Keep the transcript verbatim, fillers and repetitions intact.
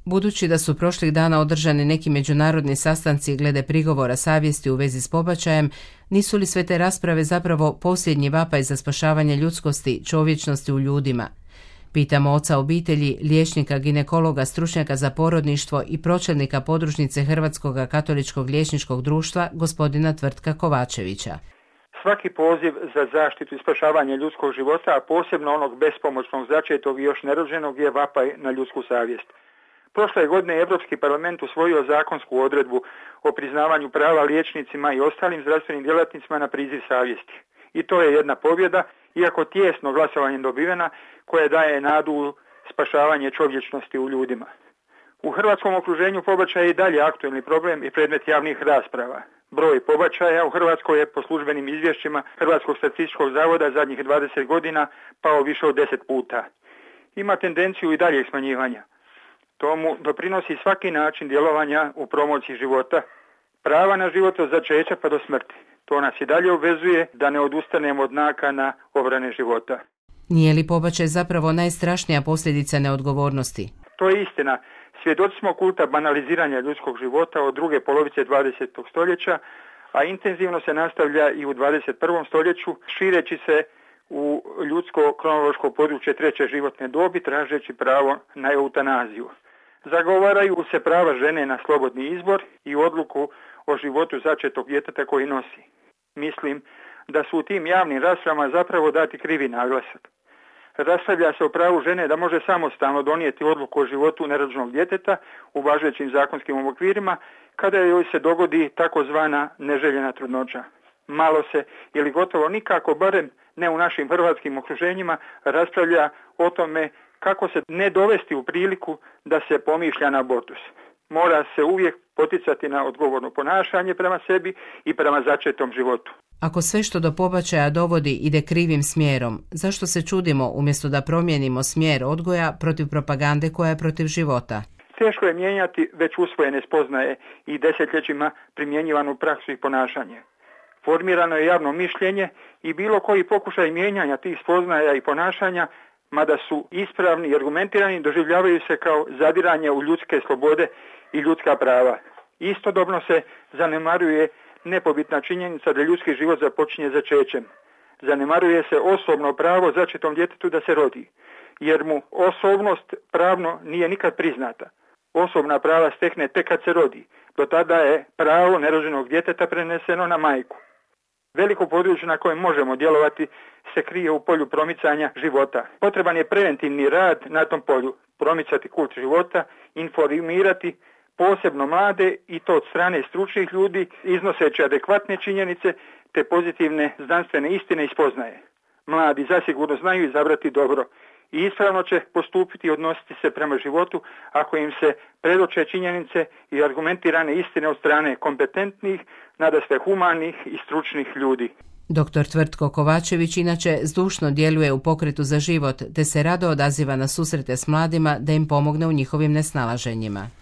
Budući da su prošlih dana održani neki međunarodni sastanci glede prigovora savjesti u vezi s pobačajem, nisu li sve te rasprave zapravo posljednji vapaj za spašavanje ljudskosti, čovječnosti u ljudima? Pitamo oca obitelji, liječnika, ginekologa, stručnjaka za porodništvo i pročelnika podružnice Hrvatskog katoličkog liječničkog društva, gospodina Tvrtka Kovačevića. Svaki poziv za zaštitu i spašavanje ljudskog života, a posebno onog bespomoćnog, začetog i još nerođenog, je vapaj na ljudsku savjest. Prošle godine Europski parlament usvojio zakonsku odredbu o priznavanju prava liječnicima i ostalim zdravstvenim djelatnicima na priziv savjesti. I to je jedna pobjeda, iako tijesno glasovanjem dobivena, koja daje nadu u spašavanje čovječnosti u ljudima. U hrvatskom okruženju pobačaj je i dalje aktuelni problem i predmet javnih rasprava. Broj pobačaja u Hrvatskoj je po službenim izvješćima Hrvatskog statističkog zavoda zadnjih dvadeset godina pao više od deset puta. Ima tendenciju i daljeg smanjivanja. Tomu doprinosi svaki način djelovanja u promociji života, prava na život od začeća pa do smrti. To nas i dalje obvezuje da ne odustanemo od nakana obrane života. Nije li pobačaj zapravo najstrašnija posljedica neodgovornosti? To je istina. Svjedoci smo kulta banaliziranja ljudskog života od druge polovice dvadesetog stoljeća, a intenzivno se nastavlja i u dvadeset prvom stoljeću, šireći se u ljudsko kronološko područje treće životne dobi, tražeći pravo na eutanaziju. Zagovaraju se prava žene na slobodni izbor i odluku o životu začetog djeteta koji nosi. Mislim da su u tim javnim raspravama zapravo dati krivi naglasak. Raspravlja se o pravu žene da može samostalno donijeti odluku o životu nerođenog djeteta u važećim zakonskim okvirima kada joj se dogodi takozvana neželjena trudnoća. Malo se ili gotovo nikako, barem ne u našim hrvatskim okruženjima, raspravlja o tome kako se ne dovesti u priliku da se pomišlja na abortus. Mora se uvijek poticati na odgovorno ponašanje prema sebi i prema začetom životu. Ako sve što do pobačaja dovodi ide krivim smjerom, zašto se čudimo umjesto da promijenimo smjer odgoja protiv propagande koja je protiv života? Teško je mijenjati već usvojene spoznaje i desetljećima primjenjivanu praksu i ponašanje. Formirano je javno mišljenje i bilo koji pokušaj mijenjanja tih spoznaja i ponašanja, mada su ispravni i argumentirani, doživljavaju se kao zadiranje u ljudske slobode i ljudska prava. Istodobno se zanemaruje nepobitna činjenica da ljudski život započinje začećem. Zanemaruje se osobno pravo začetom djetetu da se rodi, jer mu osobnost pravno nije nikad priznata. Osobna prava stekne tek kad se rodi. Do tada je pravo nerođenog djeteta preneseno na majku. Veliko područje na kojem možemo djelovati se krije u polju promicanja života. Potreban je preventivni rad na tom polju, promicati kult života, informirati posebno mlade i to od strane stručnih ljudi, iznoseći adekvatne činjenice te pozitivne znanstvene istine i spoznaje. Mladi zasigurno znaju izabrati dobro i ispravno će postupiti i odnositi se prema životu ako im se predoče činjenice i argumentirane istine od strane kompetentnih, nadasve humanih i stručnih ljudi. Doktor Tvrtko Kovačević inače zdušno djeluje u pokretu za život te se rado odaziva na susrete s mladima da im pomogne u njihovim nesnalaženjima.